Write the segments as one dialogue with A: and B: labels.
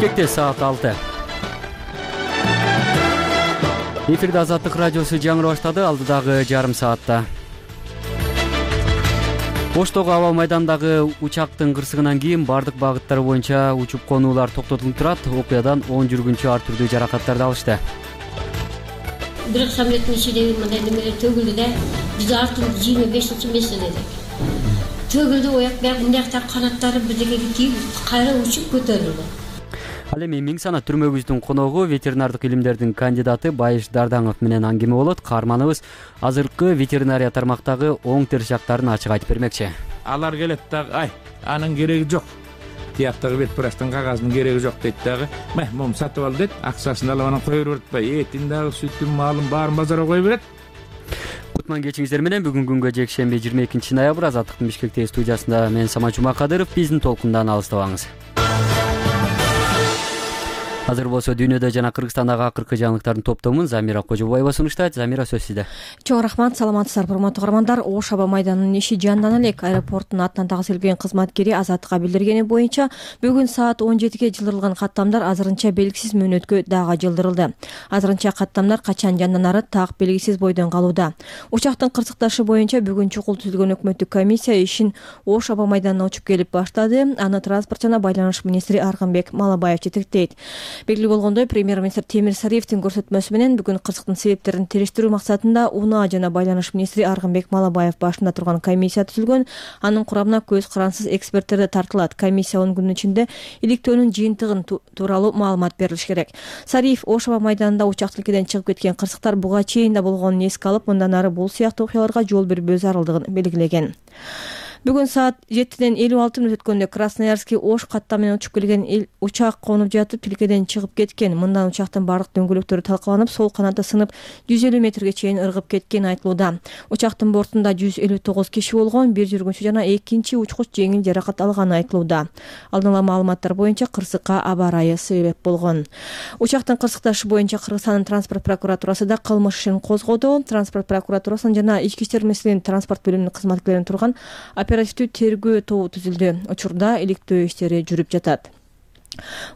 A: Бишкекте саат 6. Эфирде Азаттык радиосу жаңыры баштады. Алдыдагы жарым саатта Оштогу аба майдандагы учактын кырсыгынан кийин бардык багыттар боюнча учуп конуулар токтотулуп турат. Окуядан 10 жүргүнчү ар түрдүү жаракаттарды алышты.
B: Бир самолеттин ичиндеги мындай немелер төгүлдү да, биз артын 25-метр элек. Төгүлдү, ояк бияк мындактар канаттары бирдекеге тийип, кайра учуп көтөрүлдү.
A: Ал эми миң сана түрмөгүбүздүн коногу ветеринардык илимдердин кандидаты Байыш Дардаңов менен аңгеме болот. Каарманыбыз азыркы ветеринария тармактагы оң терс жактарын ачык айтып бермекчи.
C: Алар келет дагы, анын кереги жок. Тияктагы бет прачтын кагазынын кереги жок дейт дагы. Момун сатып ал дейт, акчасын алып анан кое берет атпайбы? Этин дагы, сүтүн, малын баарын базарга кое берет.
A: Кутман кечиңиздер менен бүгүнкү күнгө жекшемби 22 ноябрь Азаттыктын Бишкектеги студиясында мен Самат Жумакадыров. Биздин толкундан алыстабаңыз. Азыр болсо дүйнөдө жана Кыргызстандагы акыркы жаңылыктардын топтомун Замира Кожобаева сунуштайт. Замира, сөз сизде.
D: Чоң рахмат, саламатсыздарбы урматтуу каармандар. Ош аба майданынын иши жандана элек. Аэропорттун атынан тагып кызматкери Азаттыкка билдиргени боюнча бүгүн саат 17ге жылдырылган каттамдар азырынча белгисиз мөөнөткө дагы жылдырылды. Азырынча каттамдар качан жанданары так белгисиз бойдон калууда. Учактын кырсыкташы боюнча бүгүн чукул түзүлгөн өкмөттүк комиссия ишин Ош аба майданына учуп келип баштады. Аны транспорт жана байланыш министри Аргынбек Малабаев жетектейт. Белгилүү болгондой, премьер-министр Темир Сариевдин көрсөтмөсү менен бүгүн кырсыктын себептерин териштирүү максатында УНА жана байланыш министри Аргынбек Малабаев башында турган комиссия түзүлгөн. Анын курамына көз карансыз эксперттер тартылат. Комиссия 10 күнүн ичинде иликтөөнүн жыйынтыгын тууралуу маалымат берилиш керек. Сариев Ош аба майданында учак тилкеден чыгып кеткен кырсыктар буга чейин да болгонун эске алып, мындан ары бул сыяктуу окуяларга жол бербөө зарылдыгын белгилеген. Бүгүн саат 7:56 өткөндө Красноярский Ош каттам менен учуп келген учак конуп жатып тилкеден чыгып кеткен. Мындан учактын бардык дөңгөлөктөрү талкаланып, сол канаты сынып 150 метрге чейин ыргып кеткен айтылууда. Учактын бортунда 159 киши болгон, бир жүргүнчү жана экинчи учкуч жеңил жаракат алганы айтылууда. Алдын ала маалыматтар боюнча кырсыкка аба ырайы себеп болгон. Учактын кырсыкташы боюнча Кыргызстандын транспорт прокуратурасы да кылмыш ишин козгоду. Транспорт прокуратурасынын жана Ички иштер министрлигинин транспорт бөлүмүнүн кызматкерлеринин турган оперативдүү тергөө тобу түзүлдү. Учурда иликтөө иштери жүрүп жатат.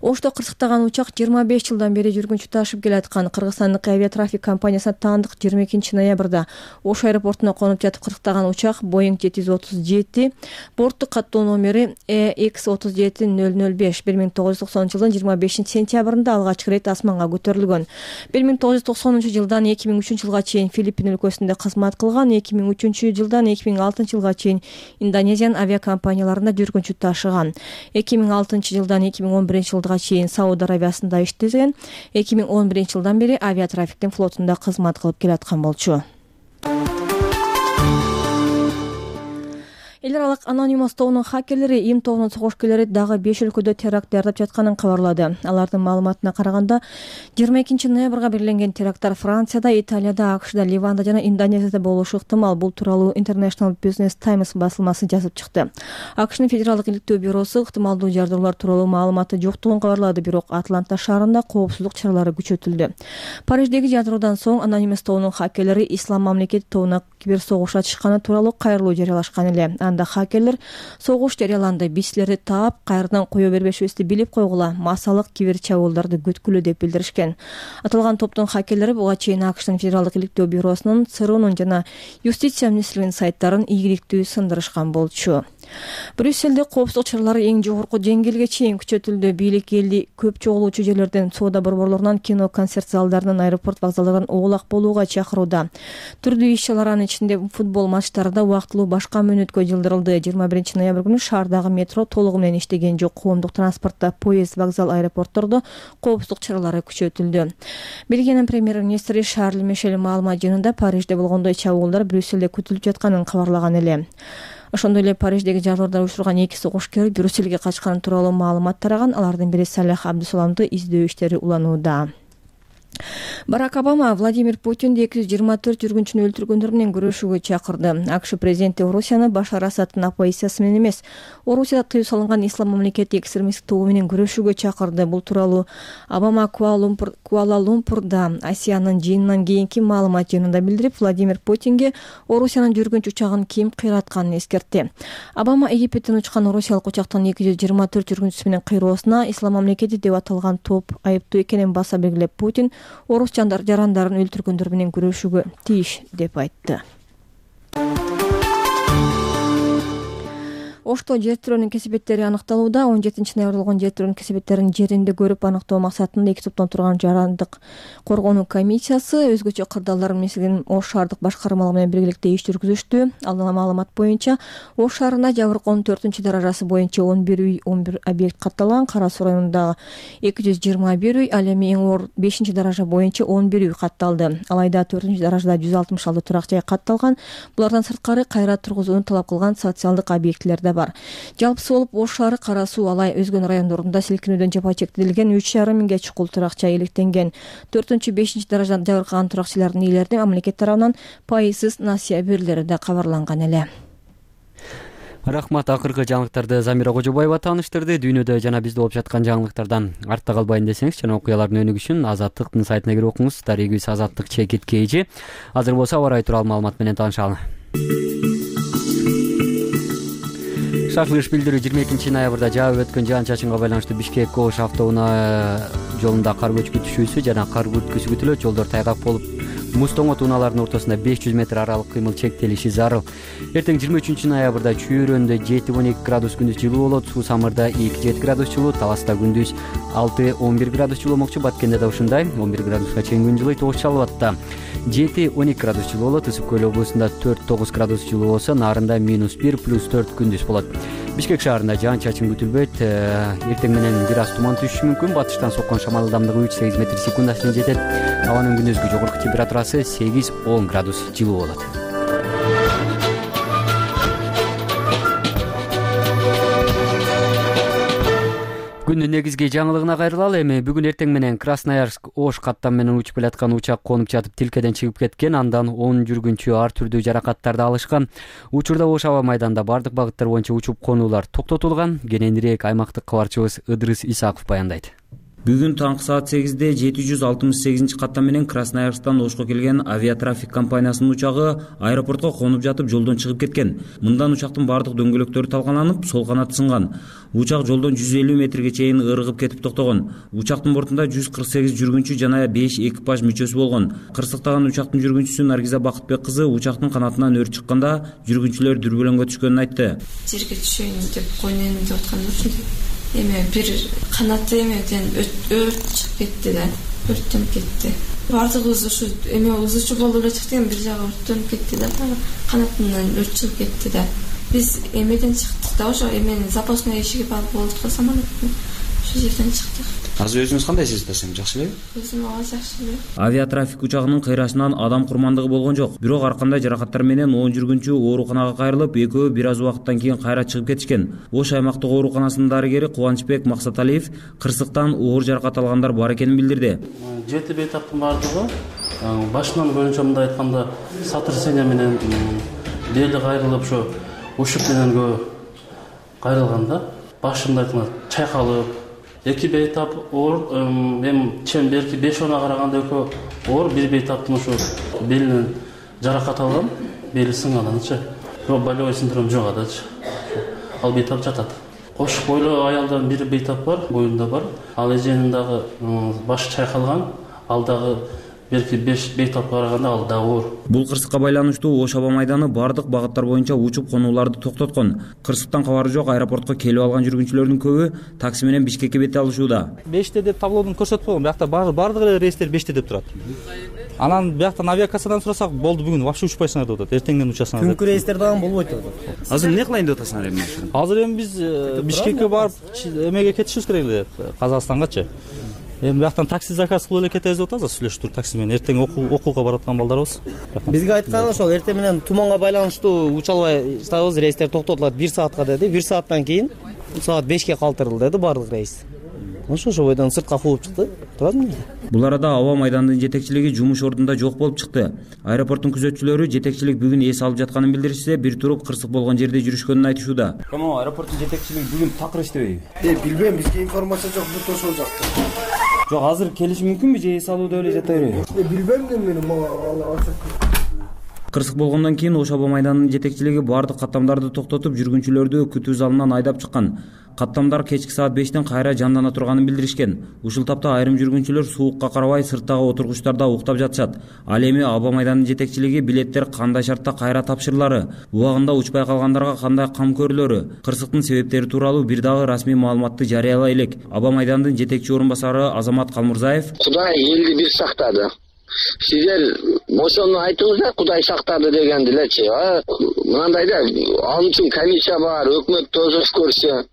D: Ошто кырсыктаган учак 25 жылдан бери жүргүнчү ташып келаткан. Кыргызстандык авиатрафик компаниясына таандык 22 ноябрда Ош аэропортуна конуп жатып кырсыктаган учак Boeing 737, борттук каттоо номери EX37005 1990 жылдын 25 сентябрында алгачкы ирет асманга көтөрүлгөн. 1990 жылдан 2003 жылга чейин Филиппин өлкөсүндө кызмат кылган, 2003 жылдан 2006 жылга чейин Индонезиянын авиакомпанияларында жүргүнчү ташыган. 2006 жылдан 2011 жылга чейин Сауд Арабиясында иштеген, 2011 жылдан бери авиатрафиктин флотунда кызмат кылып келаткан болчу. Эл аралык Anonymous тобунун хакерлери ИМ тобунун согушкерлери дагы 5 өлкөдө теракт даярдап жатканын кабарлады. Алардын маалыматына караганда, 22 ноябрга белгиленген теракттар Францияда, Италияда, АКШда, Ливанда жана Индонезияда болушу ыктымал. Бул тууралуу International Business Times басылмасы жазып чыкты. АКШнын федералдык иликтөө бюросу ыктымалдуу жардоолор тууралуу маалыматы жоктугун кабарлады, бирок Атланта шаарында коопсуздук чаралары күчөтүлдү. Париждеги жадыроодан соң Anonymous тобунун хакерлери Ислам мамлекети тобуна кибер согуш ачышканы тууралуу кайрылуу жарыялашкан эле. Анда хакерлер согуш жарыяланды, биз силерди таап, кайрадан кое бербешибизди билип койгула, массалык кибер чабуулдарды күткүлө деп билдиришкен. Аталган топтун хакерлери буга чейин АКШнын федералдык иликтөө бюросунун, ЦРУнун жана Юстиция министрлигинин сайттарын ийгиликтүү сындырышкан болчу. Брюсселде коопсуздук чаралары эң жогорку деңгээлге чейин күчөтүлдү. Бийлик элди көп чогулуучу жерлерден, соода борборлорунан, кино, концерт залдарынан, аэропорт вокзалдарынан оолак болууга чакырууда. Түрдүү иш-чаралардын ичинде футбол матчтары да убактылуу башка мөөнөткө жылдырылды. 21 ноябрь күнү шаардагы метро толугу менен иштеген жок. Коомдук транспортто, поезд, вокзал, аэропорттордо коопсуздук чаралары күчөтүлдү. Бельгиянын премьер-министри Шарль Мишель маалымат жыйынында Парижде болгондой чабуулдар Брюсселде күтүлүп жатканын кабарлаган эле. Ошондой эле Париждеги жардоолорду уюштурган 2 согушкер Брюсселге качканы тууралуу маалымат тараган. Алардын бири Салах Абдусаламды издөө иштери уланууда. Барак Обама Владимир Путинди 224 жүргүнчүнү өлтүргөндөр менен күрөшүүгө чакырды. АКШ президенти Орусияны Башар Асадтын оппозициясы менен эмес, Орусияда тыюу салынган ислам мамлекети экстремисттик тобу менен күрөшүүгө чакырды. Бул тууралуу Обама Куала-Лумпурда Асиянын жыйынынан кийинки маалымат жыйынында билдирип, Владимир Путинге Орусиянын жүргүнчү учагын ким кыйратканын эскертти. Обама Египеттен учкан орусиялык учактын 224 жүргүнчүсү менен кыйроосуна ислам мамлекети деп аталган топ айыптуу экенин баса белгилеп, Путин орус жарандарын өлтүргөндөр менен күрөшүүгө тийиш деп айтты. Ошто жер тирөөнүн кесепеттери аныкталууда. 17 ноябрда жер тирөөнүн кесепеттерин жеринде көрүп аныктоо максатында 2 топтон турган жарандык коргонуу комиссиясы өзгөчө кырдаалдар мисилин Ош шаардык башкармалыгы менен биргеликте иш жүргүзүштү. Алдыңкы маалымат боюнча Ош шаарында Жабыркоонун 4-даражасы боюнча 11 үй, 11 объект катталган. Кара Суу районундагы 221 үй, ал эми эң оор 5-даража боюнча 11 үй катталды. Алайда 4-даражада 166 турак жай катталган. Булардан сырткары кайра тургузууну талап кылган социалдык объектилер да бар. Жалпысы болуп Ош шаары, Кара Суу, Алай, өзгөн райондорунда силкинүүдөн жапа чектелген 3,5 миңге чукул туракча иликтенген. 4-5 даражада жабыркаган туракчылардын ээлерине мамлекет тарабынан пайызсыз насыя берилери да кабарланган эле.
A: Рахмат. Акыркы жаңылыктарды Замира Кожобаева тааныштырды. Дүйнөдө жана бизде болуп жаткан жаңылыктардан артта калбайын десеңиз жана окуялардын өнүгүшүн Азаттыктын сайтына кирип окуңуз. Дарегибиз Азаттык /KG. Азыр болсо аба ырайы тууралуу маалымат менен таанышалы. Шашлыш билдирүү 22 ноябрда жаап өткөн жаан-чачынга байланыштуу Бишкек-Ош автоунаа жолунда кар көчкү түшүүсү жана кар күрткүсү күтүлөт. Жолдор тайгак болуп, муз-тоңот унаалардын ортосунда 500 метр аралык кыймыл чектелиши зарыл. Эртең 23 ноябрда Чүйрөндө 7-12 градус күндүз жылуу болот. Суу Самырда 2-7 градус жылуу, Таласта күндүз 6-11 градус жылуу болмокчу. Баткенде да ушундай 11 градуска чейин күн жылыйт. Ош Чалбатта 7-12 градус жылуу болот. Ысык Көл облусунда 4-9 градус жылуу болсо, Нарында -1 +4 күндүз болот. Бишкек шаарында жаан-чачын күтүлбөйт. Эртең менен бир аз туман түшүшү мүмкүн. Батыштан соккон шамал ылдамдыгы 3-8 метр секундына чейин жетет. Абанын күндүзгү жогорку температурасы 8-10 градус жылуу болот. Күндүн негизги жаңылыгына кайрылалы. Эми бүгүн эртең менен Красноярск Ош каттам менен учуп келаткан учак конуп жатып тилкеден чыгып кеткен. Андан 10 жүргүнчү ар түрдүү жаракаттарды алышкан. Учурда Ош аба майданында бардык багыттар боюнча учуп конуулар токтотулган. Кененирээк аймактык кабарчыбыз Ыдырыс Исаков баяндайт.
E: Бүгүн таңкы саат 8-де 768 каттам менен Красноярсктан Ошко келген авиатрафик компаниясынын учагы аэропортко конуп жатып жолдон чыгып кеткен. Мындан учактын бардык дөңгөлөктөрү талкаланып, сол канаты сынган. Учак жолдон 150 метрге чейин ыргып кетип токтогон. Учактын бортунда 148 жүргүнчү жана 5 экипаж мүчөсү болгон. Кырсыктаган учактын жүргүнчүсү Наргиза Бакытбек кызы учактын канатынан өрт чыкканда жүргүнчүлөр дүрбөлөңгө түшкөнүн айтты.
F: Жерге түшөйүн деп койнун деп атканда эме бир канаты эмеден өрт чыгып кетти да, өрттөнүп кетти. Бардыгыбыз ушу эме узуучу болуп эле чыктык, бир жагы өрттөнүп кетти да, канатынан өрт чыгып кетти да. Биз эмеден чыктык да, ошо эменин запасной ишиги бар болду самолеттин. Ошол жерден чыктык.
G: Азыр өзүңүз кандай сездесиң, жакшы элеби?
F: Өзүм жакшы эле.
E: Авиатрафик учагынын кыйрашынан адам курмандыгы болгон жок. Бирок ар кандай жаракаттар менен 10 жүргүнчү ооруканага кайрылып, экөө бир аз убакыттан кийин кайра чыгып кетишкен. Ош аймактык ооруканасынын дарыгери Кубанычбек Максаталиев кырсыктан оор жаракат алгандар бар экенин билдирди.
H: 7 бейтаптын бардыгы башынан боюнча мындай айтканда сотрясение менен бели кайрылып, ошо ушук менен кайрылган да. Башында айтканда чайкалып, эки бейтап оор, эми чем берки 5-10 караганда экөө оор, бир бейтаптын ошо белинен жаракат алган, бели сынганычы. Бирок болевой синдром жок адачы. Ал бейтап жатат. Кошук бойлуу аялдардын бири бейтап бар, боюнда бар. Ал эженин дагы башы чайкалган, ал дагы берки 5 бейтапка караганда ал да оор.
E: Бул кырсыкка байланыштуу Ош аба майданы бардык багыттар боюнча учуп конууларды токтоткон. Кырсыктан кабары жок аэропортко келип алган жүргүнчүлөрдүн көбү такси менен Бишкекке бет алышууда.
I: 5-те деп таблодон көрсөтүп койгон, биякта бардык эле рейстер 5-те деп турат. Анан бияктан авиакассадан сурасак, болду бүгүн вообще учпайсыңар деп атат, эртеңден учасыңар.
J: Күнкү рейстер дагы болбойт деп атат.
G: Азыр эмне кылайын деп атасыңар эми?
I: Азыр эми биз Бишкекке барып эмеге кетишибиз керек эле, Казакстангачы. Эми бияктан такси заказ кылып эле кетебиз деп атабыз, сүйлөшүп туруп такси менен. Эртең окууга бараткан балдарыбыз.
J: Бизге айткан ошол эртең менен туманга байланыштуу уча албай жатабыз, рейстер токтотулат 1 саатка деди. 1 сааттан кийин саат 5ке калтырылды деди бардык рейс. ошо бойдон сыртка кууп чыкты. Турадым.
E: Бул арада аба майданынын жетекчилиги жумуш ордунда жок болуп чыкты. Аэропорттун күзөтчүлөрү жетекчилик бүгүн эс алып жатканын билдиришсе, бир туруп кырсык болгон жерде жүрүшкөнүн айтышууда.
G: Кому аэропорттун жетекчилиги бүгүн такыр иштебейби?
K: Билбейм, бизге информация жок, бүт ошол жакта.
G: Жок, азыр келиш мүмкүнбү же эс алуудо эле жата береби?
K: Билбейм мен мага.
E: Кырсык болгондон кийин Ош аба майданынын жетекчилиги бардык каттамдарды токтотуп, жүргүнчүлөрдү күтүү залынан айдап чыккан. Каттамдар кечки саат 5тен кайра жандана турганын билдиришкен. Ушул тапта айрым жүргүнчүлөр суукка карабай сырттагы отургучтарда уктап жатышат. Ал эми аба майданынын жетекчилиги билеттер кандай шартта кайра тапшырылары, убагында учпай калгандарга кандай кам көрүлөрү, кырсыктын себептери тууралуу бир дагы расмий маалыматты жарыялай элек. Аба майданынын жетекчи орун басары Азамат Калмурзаев:
L: Кудай элди бир сактады. Сиздер ошону айтыңыздар, Кудай сактады дегенди элечи. Мынандай да, ал үчүн комиссия бар, өкмөт тозус көрсө.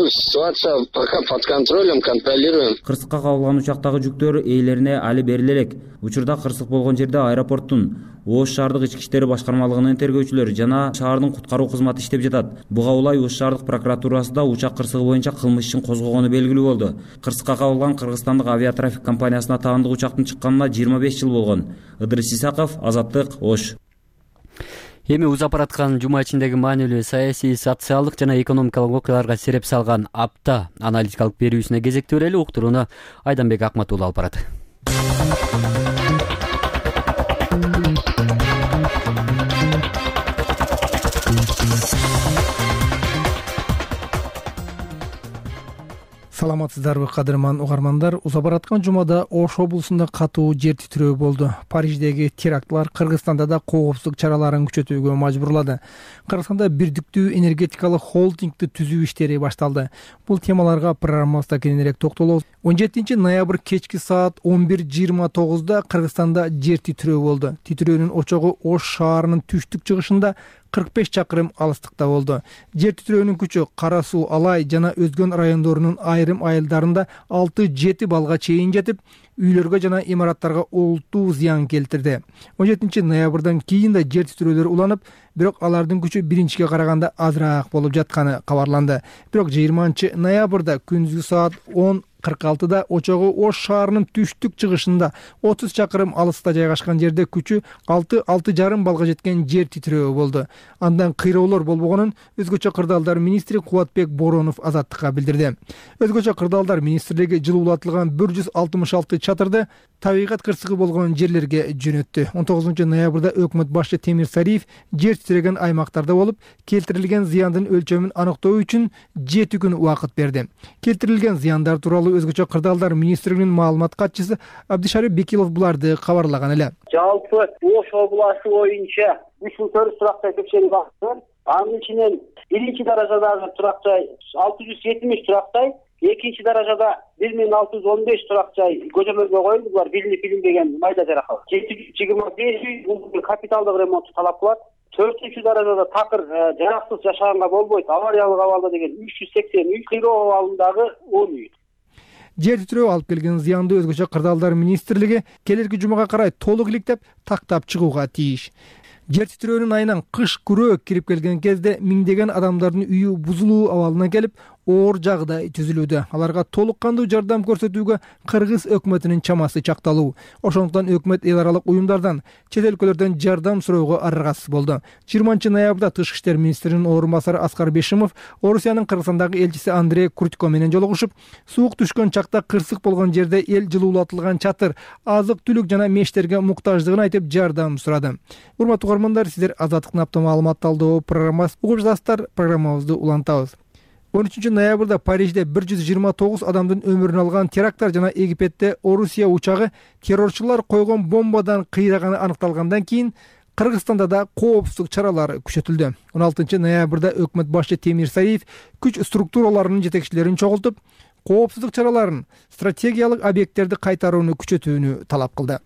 L: Ситуация пока под контролем, контролируем.
E: Кырсыкка кабылган учактагы жүктөр ээлерине али бериле элек. Учурда кырсык болгон жерде аэропорттун, Ош шаардык ички иштери башкармалыгынын тергөөчүлөрү жана шаардын куткаруу кызматы иштеп жатат. Буга улай Ош шаардык прокуратурасы да учак кырсыгы боюнча кылмыш ишин козгогону белгилүү болду. Кырсыкка кабылган кыргызстандык авиатрафик компаниясына таандык учактын чыкканына 25 жыл болгон. Ыдырыс Исаков, Азаттык, Ош.
A: Эми узап бараткан жума ичиндеги маанилүү саясий, социалдык жана экономикалык окуяларга сереп салган апта аналитикалык берүүсүнө кезекти берели. Уктурууну Айданбек Акматуулу алып барат.
M: Саламатсыздарбы кадырман угармандар. Узап бараткан жумада Ош облусунда катуу жер титирөө болду. Париждеги терактлар Кыргызстанда да коопсуздук чараларын күчөтүүгө мажбурлады. Кыргызстанда бирдиктүү энергетикалык холдингди түзүү иштери башталды. Бул темаларга программабызда кененирээк токтолобуз. 17 ноябрь кечки саат 11:29 Кыргызстанда жер титирөө болду. Титирөөнүн очогу Ош шаарынын түштүк чыгышында 45 чакырым алыстыкта болду. Жер титирөөнүн күчү Кара суу, Алай жана Өзгөн райондорунун айрым айылдарында 6-7 балга чейин жетип, үйлөргө жана имараттарга олуттуу зыян келтирди. 17 ноябрдан кийин да жер титирөөлөр уланып, бирок алардын күчү биринчиге караганда азыраак болуп жатканы кабарланды. Бирок 20 ноябрда күндүзгү саат 10:46 очогу Ош шаарынын түштүк чыгышында 30 чакырым алыста жайгашкан жерде күчү 6-6,5 балга жеткен жер титирөө болду. Андан кыйроолор болбогонун өзгөчө кырдаалдар министри Кубатбек Боронов Азаттыкка билдирди. Өзгөчө кырдаалдар министрлиги жылуулатылган 166 чатырды табигат кырсыгы болгон жерлерге жөнөттү. 19 ноябрда өкмөт башчы Темир Сариев жер титиреген аймактарда болуп, келтирилген зыяндын өлчөмүн аныктоо үчүн 7 күн убакыт берди. Келтирилген зыяндар тууралуу өзгөчө кырдаалдар министрлигинин маалымат катчысы Абдишарип Бекилов буларды кабарлаган эле.
N: Жалпы Ош областы боюнча 304 турак-жай текшерип бактым. Анын ичинен биринчи даражадагы турак-жай 670 турак-жай, экинчи даражада 1615 турак-жай көзөмөлгө коюлду. Булар билинбеген майда жаракат. 725 бул капиталдык ремонтту талап кылат. 4-чү даражада такыр жараксыз жашаганга болбойт. Авариялык абалда деген 380 үй, кыйроо абалындагы 10 үй.
M: Жер титирөө алып келген зыянды өзгөчө кырдаалдар министрлиги келерки жумага карай толук иликтеп, тактап чыгууга тийиш. Жер титирөөнүн айынан кыш күрөө кирип келген кезде миңдеген адамдардын үйү бузулуу абалына келип, оор жагдай түзүлүүдө. Аларга толук кандуу жардам көрсөтүүгө кыргыз өкмөтүнүн чамасы чакталуу. Ошондуктан өкмөт эл аралык уюмдардан, чет өлкөлөрдөн жардам суроого аргасыз болду. 20 ноябрда Тышкы иштер министринин орун басары Аскар Бешимов Орусиянын Кыргызстандагы элчиси Андрей Крутько менен жолугушуп, суук түшкөн чакта кырсык болгон жерде эл жылуулатылган чатыр, азык-түлүк жана мештерге муктаждыгын айтып жардам сурады. Урматтуу угармандар, сиздер Азаттыктын апта маалымат талдоо программасы угуп жатасыздар. Программабызды улантабыз. 13 ноябрда Парижде 129 адамдын өмүрүн алган теракттар жана Египетте Орусия учагы террорчулар койгон бомбадан кыйраганы аныкталгандан кийин Кыргызстанда да коопсуздук чаралары күчөтүлдү. 16 ноябрда өкмөт башчы Темир Сариев күч структураларынын жетекчилерин чогултуп, коопсуздук чараларын, стратегиялык объекттерди кайтарууну күчөтүүнү талап кылды.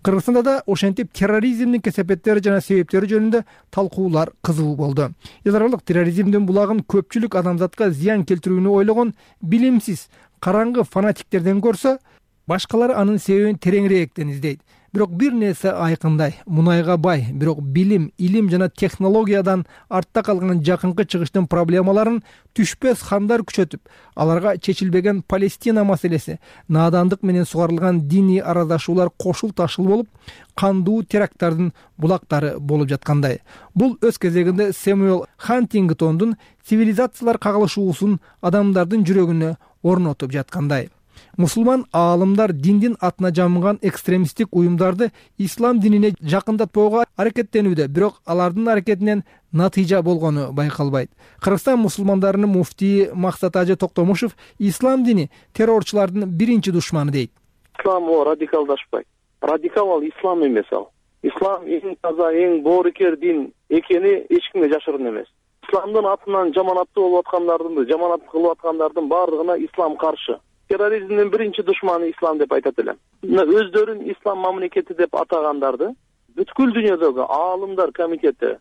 M: Кыргызстанда да ошентип терроризмдин кесепеттери жана себептери жөнүндө талкуулар кызуу болду. Эл аралык терроризмдин булагын көпчүлүк адамзатка зыян келтирүүнү ойлогон билимсиз, караңгы фанатиктерден көрсө, башкалар анын себебин тереңирээктен издейт. бирок бир нерсе айкындай: мунайга бай, бирок билим, илим жана технологиядан артта калган жакынкы чыгыштын проблемаларын түшпөс хандар күчөтүп, аларга чечилбеген Палестина маселеси, наадандык менен сугарылган диний араздашуулар кошул ташыл болуп, кандуу теракттардын булактары болуп жаткандай. Бул өз кезегинде Сэмюэл Хантингтондун цивилизациялар кагылышуусун адамдардын жүрөгүнө орнотуп жаткандай. Мусулман аалымдар диндин атына жамынган экстремисттик уюмдарды ислам динине жакындатпоого аракеттенүүдө, бирок алардын аракетинен натыйжа болгону байкалбайт. Кыргызстан мусулмандарынын муфтийи Максат Ажы Токтомушев ислам дини террорчулардын биринчи душманы дейт.
O: Ислам радикалдашпайт. Радикал ал ислам эмес ал. Ислам эң таза, эң боорукер дин экени эч кимге жашырын эмес. Исламдын атынан жаманаттуу болуп аткандардын, жаманаттык кылып аткандардын бардыгына ислам каршы. Терроризмдин биринчи душманы ислам деп айтат элем. Өздөрүн ислам мамлекети деп атагандарды бүткүл дүйнөдөгү аалымдар комитети,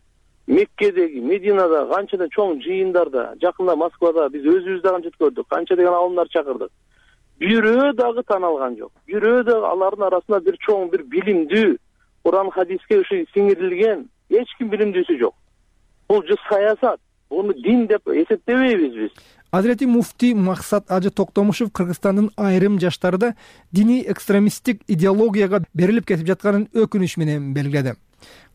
O: Меккедеги, Мединада канча чоң жыйындарда, жакында Москвада биз өзүбүз да канча көрдүк, канча деген аалымдар чакырдык. Бирөө дагы таналган жок. Бирөө да алардын арасында бир чоң, бир билимдүү, Куран хадиске ушу сиңирилген эч ким билимдүүсү жок. Бул же саясат, буну дин деп эсептебейбиз биз.
M: Азирети муфтий Максат Ажы Токтомушев Кыргызстандын айрым жаштарында диний экстремисттик идеологияга берилип кетип жатканын өкүнүч менен белгиледи.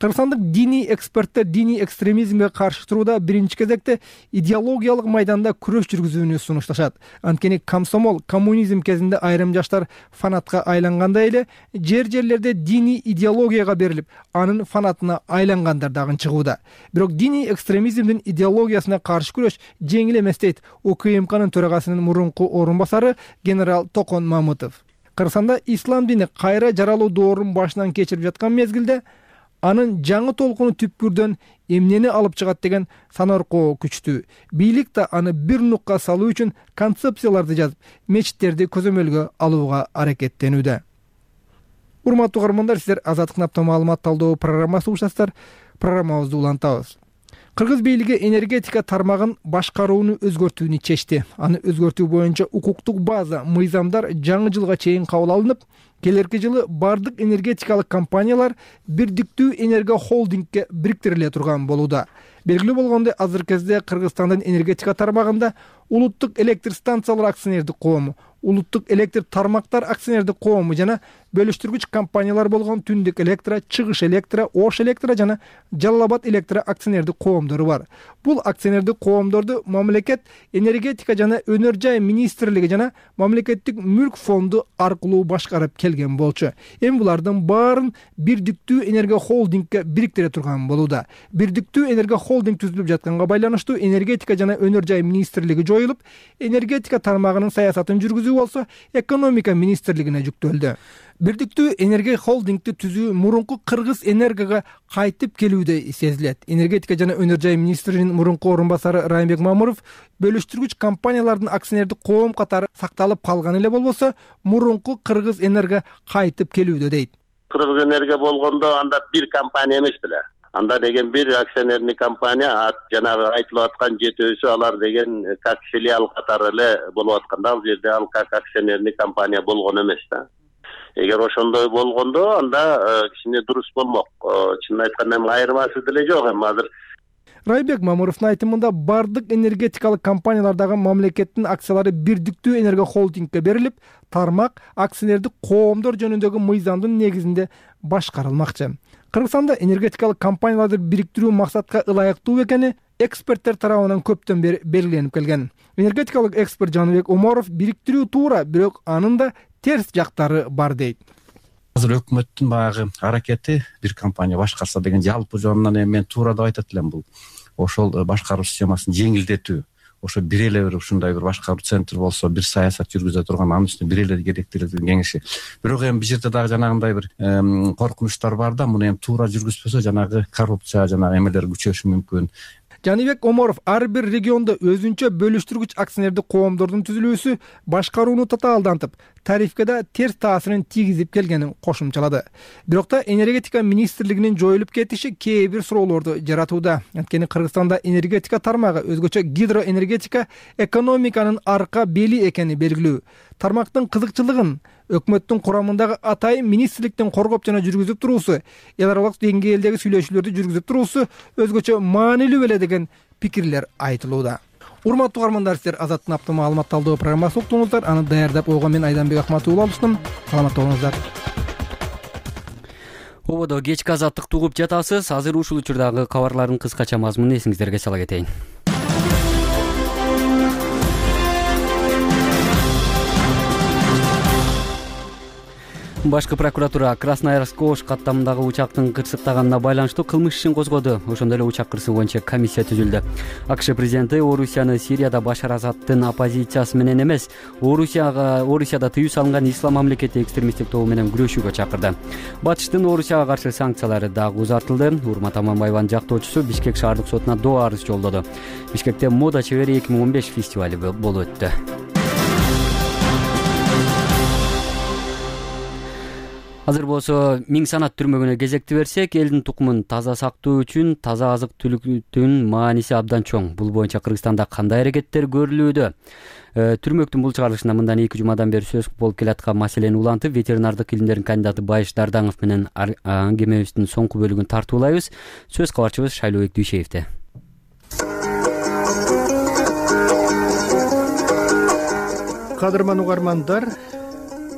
M: Кыргызстандык диний эксперттер диний экстремизмге каршы турууда биринчи кезекте идеологиялык майданда күрөш жүргүзүүнү сунушташат. Анткени комсомол, коммунизм кезинде айрым жаштар фанатка айлангандай эле, жерлерде диний идеологияга берилип, анын фанатына айлангандар дагы чыгууда. Бирок диний экстремизмдин идеологиясына каршы күрөш жеңил эмес дейт УКМКнын төрагасынын мурунку орун басары генерал Токон Мамытов. Кыргызстанда ислам дини кайра жаралуу доорун башынан кечирип жаткан мезгилде анын жаңы толкуну түпкүрдөн эмнени алып чыгат деген санаркоо күчтүү. Бийлик да аны бир нукка салуу үчүн концепцияларды жазып, мечиттерди көзөмөлгө алууга аракеттенүүдө. Урматтуу угармандар, сиздер Азаттыктын апта маалымат талдоо программасы угушасыздар. Программабызды улантабыз. Кыргыз бийлиги энергетика тармагын башкарууну өзгөртүүнү чечти. Аны өзгөртүү боюнча укуктук база, мыйзамдар жаңы жылга чейин кабыл алынып, келерки жылы бардык энергетикалык компаниялар бирдиктүү энерго холдингке бириктириле турган болууда. Белгилүү болгондой, азыркы кезде Кыргызстандын энергетика тармагында Улуттук электр станциялар акционердик коому, Улуттук электр тармактар акционердик коому жана бөлүштүргүч компаниялар болгон Түндүк электро, Чыгыш электро, Ош электро жана Жалал Абад электро акционердик коомдору бар. Бул акционердик коомдорду мамлекет энергетика жана өнөр жай министрлиги жана мамлекеттик мүлк фонду аркылуу башкарып келген болчу. Эми булардын баарын бирдиктүү энерго холдингке бириктире турган болууда. Бирдиктүү энерго холдинг түзүлүп жатканга байланыштуу энергетика жана өнөр жай министрлиги жоюлуп, энергетика тармагынын саясатын жүргүзүү болсо экономика министрлигине жүктөлдү. Бирдиктүү энерго холдингти түзүү мурунку Кыргыз энергога кайтып келүүдө сезилет. Энергетика жана өнөр жай министринин мурунку орун басары Райымбек Мамуров бөлүштүргүч компаниялардын акционердик коом катары сакталып калган эле болбосо, мурунку Кыргыз энерго кайтып келүүдө дейт.
P: Кыргыз энерго болгондо анда бир компания эмес беле. Анда деген бир акционерный компания, жанагы айтылып аткан жетөөсү алар деген как филиал катары эле болуп атканда, ал жерде ал как акционерный компания болгон эмес да. Эгер ошондой болгондо, анда кичине дурус болмок. Чынын айтканда эми айырмасы деле жок эми азыр.
M: Райымбек Мамуровдун айтымында бардык энергетикалык компаниялардагы мамлекеттин акциялары бирдиктүү энерго холдингке берилип, тармак акционердик коомдор жөнүндөгү мыйзамдын негизинде башкарылмакчы. Кыргызстанда энергетикалык компанияларды бириктирүү максатка ылайыктуу экени эксперттер тарабынан көптөн бери белгиленип келген. Энергетикалык эксперт Жаныбек Оморов бириктирүү туура, бирок анын да терс жактары бар дейт.
Q: Азыр өкмөттүн баягы аракети бир компания башкарса деген жалпы жонунан эми мен туура деп айтат элем, бул ошол башкаруу системасын жеңилдетүү. Ошо бир эле бир ушундай бир башкаруу центр болсо, бир саясат жүргүзө турган, анын үстүнө бир эле керектелген кеңеши. Бирок эми бул жерде дагы жанагындай бир коркунучтар бар да, муну эми туура жүргүзбөсө жанагы коррупция жанагы эмелер күчөшү мүмкүн.
M: Жаныбек Оморов ар бир региондо өзүнчө бөлүштүргүч акционердик коомдордун түзүлүүсү башкарууну татаалдантып, тарифке да терс таасирин тийгизип келгенин кошумчалады. Бирок да энергетика министрлигинин жоюлуп кетиши кээ бир суроолорду жаратууда. Анткени Кыргызстанда энергетика тармагы, өзгөчө гидроэнергетика, экономиканын арка бели экени белгилүү. Тармактын кызыкчылыгын өкмөттүн курамындагы атайын министрликтин коргоп жана жүргүзүп туруусу, эл аралык деңгээлдеги сүйлөшүүлөрдү жүргүзүп туруусу өзгөчө маанилүү беле деген пикирлер айтылууда. Урматтуу угармандар, сиздер Азаттын апта маалымат талдоо программасы уктуңуздар. Аны даярдап койгон мен Айданбек Акматулла алыштым. Саламатта болуңуздар.
A: Ободо кечки азаттыкты угуп жатасыз. Азыр ушул учурдагы кабарлардын кыскача мазмунун эсиңиздерге сала кетейин. Башкы прокуратура Красноярск Ош каттамындагы учактын кырсыктаганына байланыштуу кылмыш ишин козгоду. Ошондой эле учак кырсыгы боюнча комиссия түзүлдү. АКШ президенти Орусияны Сирияда Башар Асадтын оппозициясы менен эмес, Орусияда тыюу салынган ислам мамлекети экстремисттик тобу менен күрөшүүгө чакырды. Батыштын Орусияга каршы санкциялары дагы узартылды. Урмат Аманбаеванын жактоочусу Бишкек шаардык сотуна доо арыз жолдоду. Бишкекте Мода чебери 2015 фестивали болуп өттү. Азыр болсо Миң санат түрмөгүнө кезекти берсек, элдин тукумун таза сактоо үчүн таза азык-түлүктүн мааниси абдан чоң. Бул боюнча Кыргызстанда кандай аракеттер көрүлүүдө? Түрмөктүн бул чыгарылышына мындан 2 жумадан бери сөз болуп келаткан маселени улантып, ветеринардык илимдердин кандидаты Байыш Дардаңов менен аңгемебиздин соңку бөлүгүн тартуулайбыз. Сөз кабарчыбыз Шайлообек Дүйшеевде.
R: Кадырман угармандар,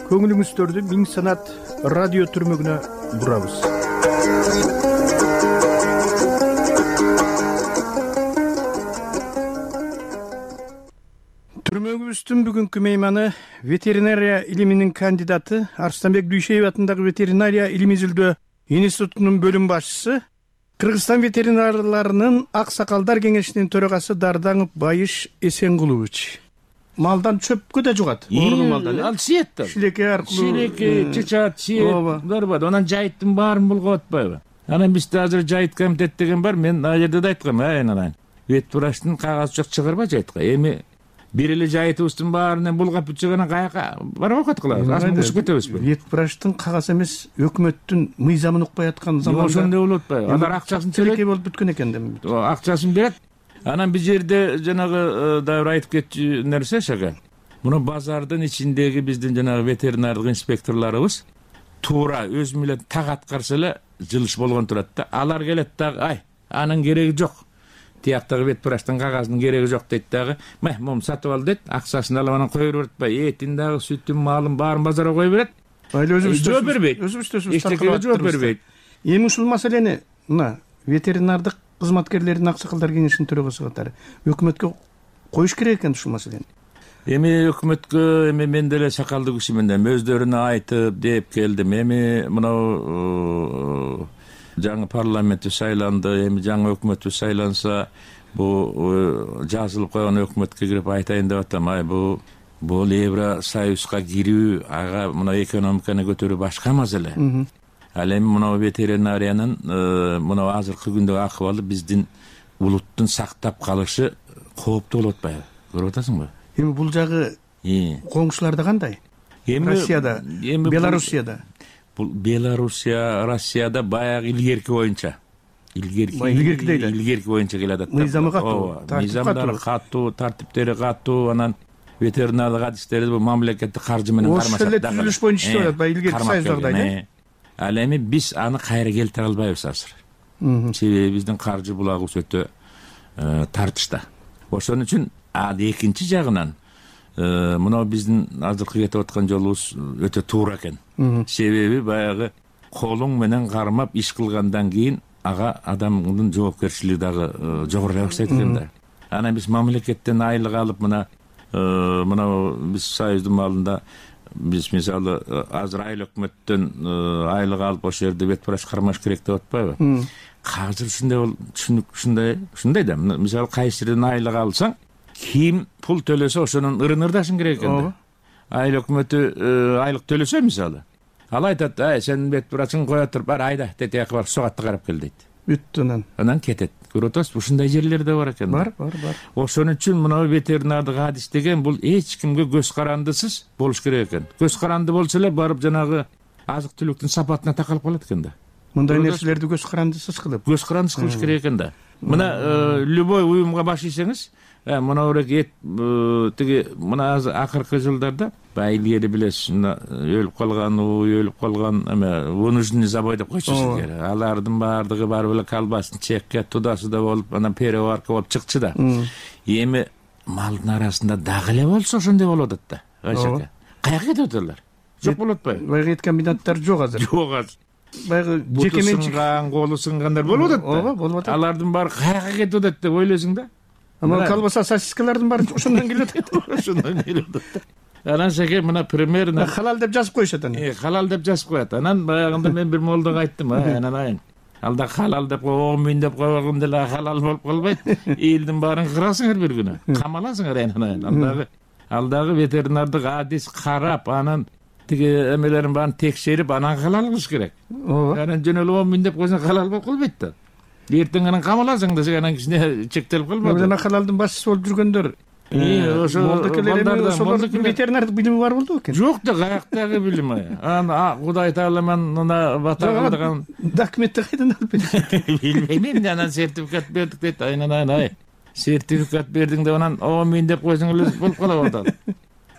R: көңүлүңүздөрдү Миң санат радио түрмөгүнө бурабыз. Түрмөгүбүздүн бүгүнкү мейманы ветеринария илиминин кандидаты, Арыстанбек Дүйшеев атындагы ветеринария илим изилдөө институтунун бөлүм башчысы, Кыргызстан ветеринарларынын ак сакалдар кеңешинин төрагасы Дардаңов Байыш Эсенгулович. Малдан чөпкө да жугат. Малдан.
C: Ал сиеттер.
R: Шилеке аркылуу.
C: Шилеке, чычат, сиет. Барбады. Анан жайыттын баарын булгап атпайбы? Анан бизде азыр жайыт комитет деген бар. Мен ал жерде да айткам, анан. Вет врачтын кагазы жок чыгарба жайытка. Эми бир эле жайытыбыздын баарынан булгап бүтчөгөнөн каяка барып окут кылабыз. Азыр ушуп кетебизби?
R: Вет врачтын кагазы эмес, өкмөттүн мыйзамын укпай аткан заманда.
C: Ошондой болуп атпайбы? Алар акчасын
R: төлөйт болуп бүткөн экен дем.
C: Акчасын берет. Анан бир жерде жанагы дайыр айтып кетчү нерсе шага. Муну базардын ичиндеги биздин жанагы ветеринардык инспекторлорубуз туура өзү менен так аткарса эле жылыш болгон турат да. Алар келет дагы, анын кереги жок. Тияктагы вет врачтын кагазынын кереги жок дейт дагы. Мом сатып ал дейт, акчасын алып анан кое берет атпайбы? Этин дагы, сүтүн, малын баарын базарга кое берет. Жооп бербейт. Эчтекеге жооп бербейт.
R: Эми ушул маселени мына ветеринардык кызматкерлердин аксакалдар кеңешинин төрагасы катары өкмөткө коюш керек экен ушул маселени.
C: Эми өкмөткө мен деле сакалдуу кишимин, өздөрүнө айтып деп келдим. Эми мына жаңы парламентти шайланды, эми жаңы өкмөтү шайланса, бул жазылып койгон өкмөткө кирип айтайын деп атам. Бул Евросоюзга кирүү, ага мына экономиканы көтөрүү башка маселе. Ал эми мына ветеринариянын мына азыркы күндөгү акыбалы биздин улуттун сактап калышы кооптуу болуп атпайбы? Көрүп атасыңбы?
R: Эми бул жагы коңшуларда кандай? Россияда, Белоруссияда.
C: Бул Белоруссия, Россияда баягы илгерки боюнча. Илгерки боюнча келе атат.
R: Мыйзамы катуу,
C: мыйзамдары катуу, тартиптери катуу, анан ветеринарлык адистери бул мамлекеттик каржы менен кармашат.
R: Ошол эле түзүлүш боюнча иштеп атат, илгерки союздагыдай.
C: Ал эми биз аны кайра келтире албайбыз азыр. Себеби биздин каржы булагыбыз өтө тартышта. Ошон үчүн экинчи жагынан мына биздин азыркы кетип аткан жолубуз өтө туура экен. Себеби баягы колуң менен кармап иш кылгандан кийин ага адамдын жоопкерчилиги дагы жогорурай баштайт экен да. Анан биз мамлекеттен айлык алып мына биз союздун малында биз мисалы азыр айыл өкмөттөн айлык алып ошол жерде вет врач кармаш керек деп атпайбы? Азыр ушундай да. Мисалы кайсы жерден айлык алсаң, ким пул төлөсө ошонун ырын ырдашың керек экен да. Айыл өкмөтү айлык төлөсө мисалы, ал айтат, сен вет врачың кое туруп, айда тетияка барып сугатты карап кел дейт.
R: бүттү
C: анан кетет. Көрүп атасызбы, ушундай жерлер да бар экен.
R: Бар.
C: Ошон үчүн мына ветеринардык адис деген бул эч кимге көз карандысыз болуш керек экен. Көз каранды болсо эле барып жанагы азык түлүктүн сапатына такалып калат экен да.
R: Мындай нерселерди көз карандысыз кылып
C: кылыш керек экен да. Мына любой уюмга баш ийсеңиз, мына эт тиги мына акыркы жылдарда илгери билесиз, өлүп калган, өлүп калган вынужденный забой деп койчу силер. Алардын баардыгы барып эле колбасын чекке тудасы да болуп, анан переварка болуп чыкчу да. Эми малдын арасында дагы эле болсо ошондой болуп атат да. Айшака. Каяка кетип аталар? Жок болуп атпайбы?
R: Баягы эткен бинаттар жок азыр.
C: Жок азыр.
R: Баягы жекеменчик
C: колу сынгандар болуп атат да.
R: Ооба, болуп атат.
C: Алардын баары каяка кетип атат деп ойлойсуң да.
R: Ама колбаса, сосискалардын баары ошондон келип атат.
C: Ошондон келип атат. Анан шеке мына примерно
R: халал деп жазып коюшат анан.
C: Халал деп жазып коет. Анан баягында мен бир молдого айттым, анан алда халал деп 10 миң деп койгон деле халал болуп калбайт. Элдин баарын кырасыңар бир күнү. Камаласыңар анан. Алдагы ветеринардык адис карап, анан тиги эмелерин баарын текшерип, анан халал кылыш керек. Анан жөн эле 10 миң деп койсоң халал болуп калбайт да. Эртең анан камаласың десең анан кичине чектелип калбайбы?
R: Жана халалдын башчысы болуп жүргөндөр ошолордун ветеринардык билими бар болду экен.
C: Жок да, каяктагы билим. Анан Кудай таалам мына бата кылдырган
R: документти кайдан алып бердиң?
C: Билбейм, анан сертификат бердик дейт. Айнан сертификат бердиң деп анан 10 миң деп койсоң эле болуп калып атат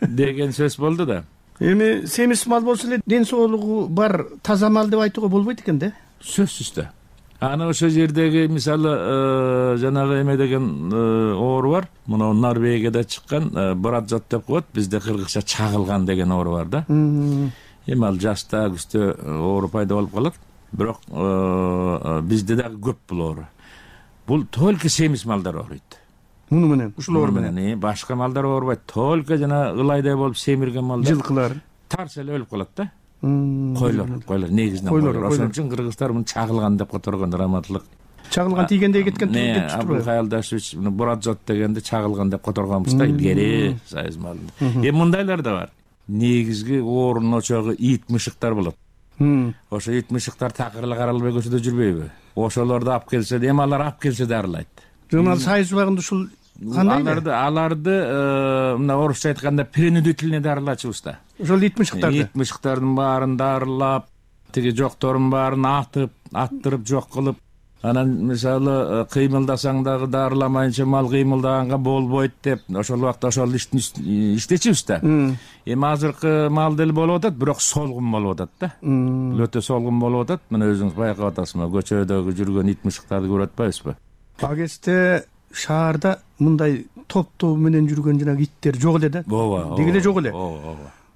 C: деген сөз болду да.
R: Эми семиз мал болсо эле ден соолугу бар таза мал деп айтууга болбойт экен да?
C: Сөзсүз да. Аны ошо жердеги мисалы жанагы эме деген оору бар. Мына Норвегияда чыккан брадзот деп коет, бизде кыргызча чагылган деген оору бар да. Эми ал жашта күздө оору пайда болуп калат. Бирок бизде дагы көп бул оору. Бул только семиз малдар ооруйт.
R: Муну менен, ушул оору менен.
C: Башка малдар оорубайт. Только жана ылайдай болуп семирген малдар.
R: Жылкылар.
C: Тарс эле өлүп калат да. Койлор негизинен койлор. Ошон үчүн кыргыздар муну чагылган деп которгон, раматтылык.
R: Чагылган тийгендей кеткен деп чыктырбайбы?
C: Абыл Каялдашевич брадзот дегенди чагылган деп которгонбуз да илгери сайыз малында. Эми мындайлар да бар. Негизги оорунун очогу ит мышыктар болот. Ошо ит мышыктар такыр эле каралбай көчөдө жүрбөйбү? Ошолорду алып келсе, эми алар алып келсе дарылайт.
R: Жана сайыз убагында ушул кандай?
C: Аларды мына орусча айтканда принудительный дарылачубуз да.
R: Ошол ит мышыктарды.
C: Ит мышыктардын баарын дарылап, тиги жокторун баарын аттырып жок кылып, анан мисалы кыймылдасаң дагы дарыламайынча мал кыймылдаганга болбойт деп ошол убакта ошол ишти иштечүбүз да. Эми азыркы мал деле болуп атат, бирок солгун болуп атат да. Өтө солгун болуп атат. Мына өзүңүз байкап атасызбы, көчөдөгү жүргөн ит мышыктарды көрүп атпайбызбы?
R: Ал кезде шаарда мындай топтоо менен жүргөн жанагы иттер жок эле да.
C: Ооба.
R: Деги эле жок эле.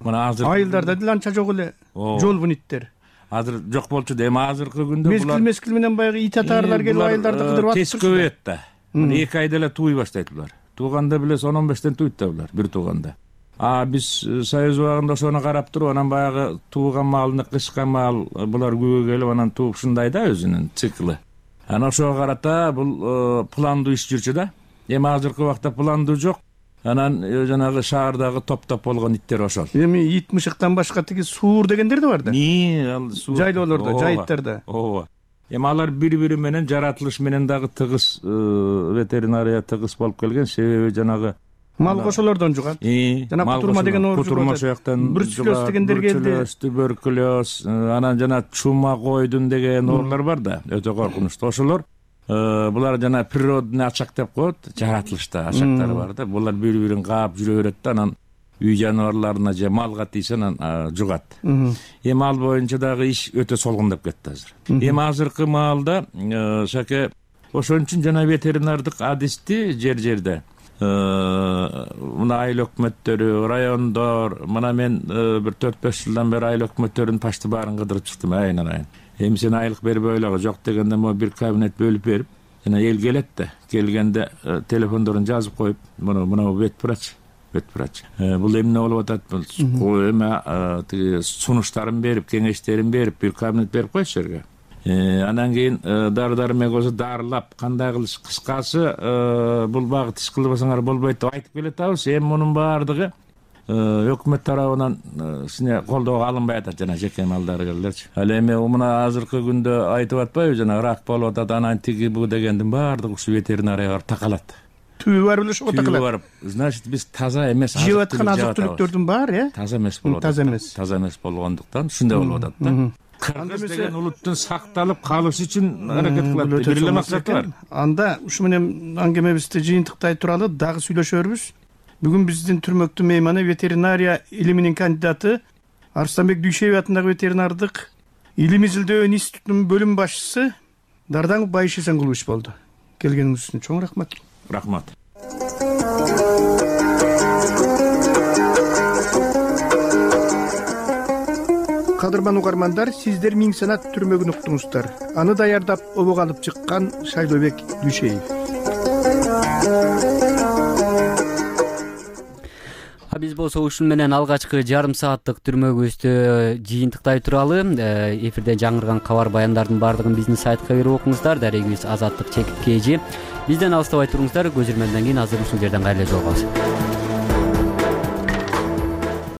C: Мына азыр
R: айылдарда деле анча жок эле жолбун иттер.
C: Азыр жок болчу да. Эми азыркы күндө
R: булар мезгил менен баягы ит атаарлар келип айылдарды кыдырып атып
C: тез көбөйөт да. 2 айда эле тууй баштайт булар. Тууганда билесиз 10-15тен туйт да булар, бир тууганда. Биз союз убагында ошону карап туруп, анан баягы тууган малны кышкан мал булар күбө келип анан тууп ушундай да өзүнүн циклы. Анан ошого карата бул пландуу иш жүрчү да. Эми азыркы убакта пландуу жок. Анан жанагы шаардагы топтоп болгон иттер ошол.
R: Эми ит мышыктан башка тиги суур дегендер да бар да. Жайлоолордо, жайыттарда.
C: Ооба. Эми алар бири-бири менен жаратылыш менен дагы тыгыз ветеринария тыгыз болуп келген. Себеби жанагы
R: мал кошолордон жугат.
C: Жана
R: кутурма деген оору
C: кутурма жактан
R: брюцеллез дегендер келди.
C: Туберкулез, анан жана чума койдун деген оорулар бар да, өтө коркунучтуу. Ошолор булар жана природный очаг деп коет, жаратылышта очагдары бар да. Булар бири-бирин каап жүрө берет да, анан үй жаныбарларына же малга тийсе анан жугат. Эми ал боюнча дагы иш өтө солгундап кетти азыр. Эми азыркы маалда шаке ошон үчүн жана ветеринардык адисти жер-жерде мына айыл өкмөттөрү, райондор, мына мен бир 4-5 жылдан бери айыл өкмөттөрүнүн почти баарын кыдырып чыктым айынан. Эми сен айлык берип ойлогу жок дегенде могу бир кабинет бөлүп берип, жана эл келет да, келгенде телефондорун жазып коюп, мына ветврач. Бул эмне болуп атат, бул эме тиги сунуштарын берип, кеңештерин берип, бир кабинет берип койчу жерге. Анан кийин дары-дармек болсо дарылап, кандай кылыш, кыскасы бул багыт иш кылбасаңар болбойт деп айтып келет атабыз. Эми мунун баардыгы өкмөт тарабынан сине колдоого алынбай атат жана жеке малдарыгерлерчи. Ал эми мына азыркы күндө айтып атпайбы, жана рак болуп атат, анан тиги бу дегендин баардыгы ушу ветеринарияга барып такалат.
R: Түбү барып эле ошого такалат.
C: Түбү барып, значит биз таза эмес
R: жеп аткан азык түлүктөрдүн баары
C: таза эмес болуп атат. Таза эмес болгондуктан ушундай болуп атат да. Кыргыз деген улуттун сакталып калышы үчүн аракет кылат. Бир эле максаты бар.
R: Анда ушу менен аңгемебизди жыйынтыктай туралы дагы сүйлөшөрбүз. Бүгүн биздин түрмөктүү мейманы ветеринария илиминин кандидаты, Арыстанбек Дүйшеев атындагы ветеринардык илим изилдөө институтунун бөлүм башчысы Дардан Байыш Эсенгулович болду. Келгениңиз үчүн чоң рахмат.
C: Рахмат.
R: Кадырман угармандар, сиздер Миң Санат түрмөгүн уктуңуздар. Аны даярдап обого алып чыккан Шайлообек Дүйшеев.
A: Биз болсо ушун менен алгачкы жарым сааттык түрмөгүбүздү жыйынтыктай туралы. Эфирден жаңырган кабар баяндардын баардыгын биздин сайтка кирип окуңуздар. Дарегибиз Азаттык чекит KG. Бизден алыстабай туруңуздар. Көз ирмемден кийин азыр ушул жерден кайра жолугабыз.